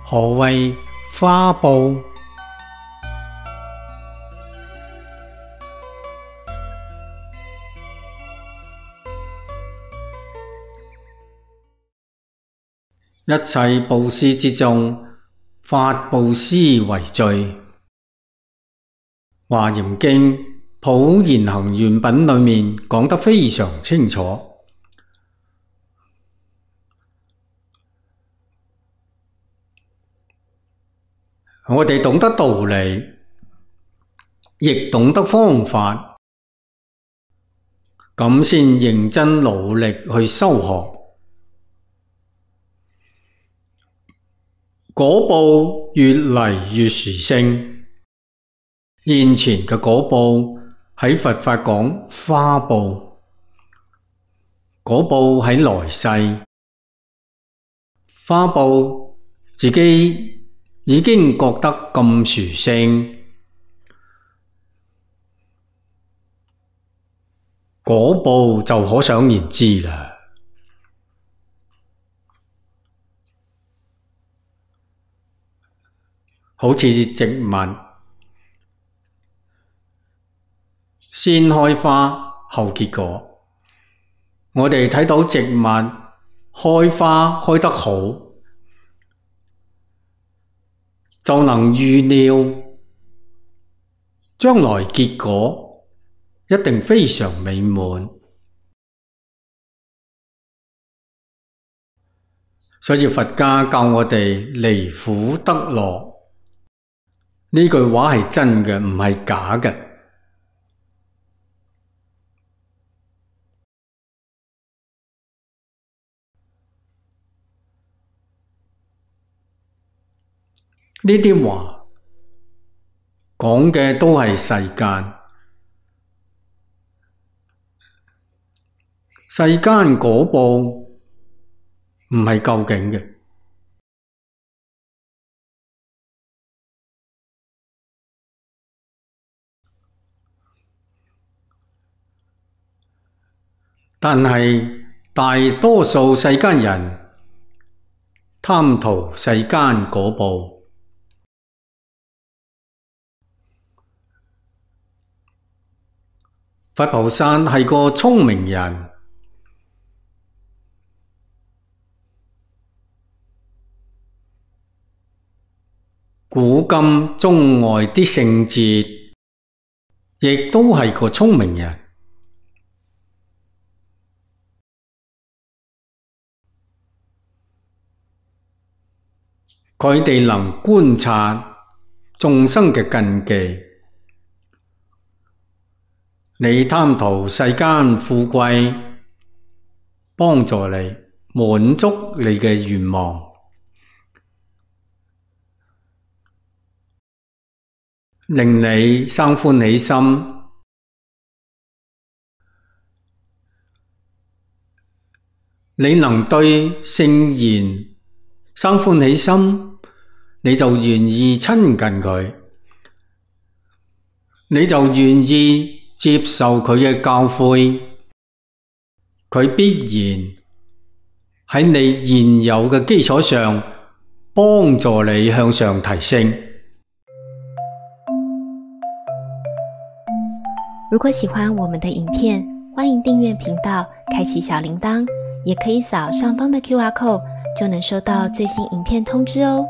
何謂花報？一切布施之中，法布施為最。華嚴經普賢行願品裏面講得非常清楚。我哋懂得道理，亦懂得方法，咁先認真努力去修學。果報越嚟越殊勝，現前嘅果報喺佛法講花報，果報喺來世，花報自己已經覺得咁殊勝，果報就可想而知啦。好似植物，先開花後結果。我哋睇到植物開花開得好，就能預料將來結果一定非常美滿。所以佛家教我哋離苦得樂。呢句話係真嘅，唔係假嘅。呢啲話講嘅都係世間，世間果報唔係究竟嘅。但係大多數世間人貪圖世間果報，佛菩薩係個聰明人，古今中外啲聖哲亦都係個聰明人。佢哋能觀察眾生嘅根基。你貪圖世間富貴，幫助你滿足你嘅願望，令你生歡喜心。你能對聖言生歡喜心，你就願意親近佢，你就願意接受佢嘅教誨，佢必然喺你現有嘅基礎上幫助你向上提升。如果喜歡我們的影片，歡迎訂閱頻道，開啟小鈴鐺，也可以掃上方的QR code，就能收到最新影片通知哦。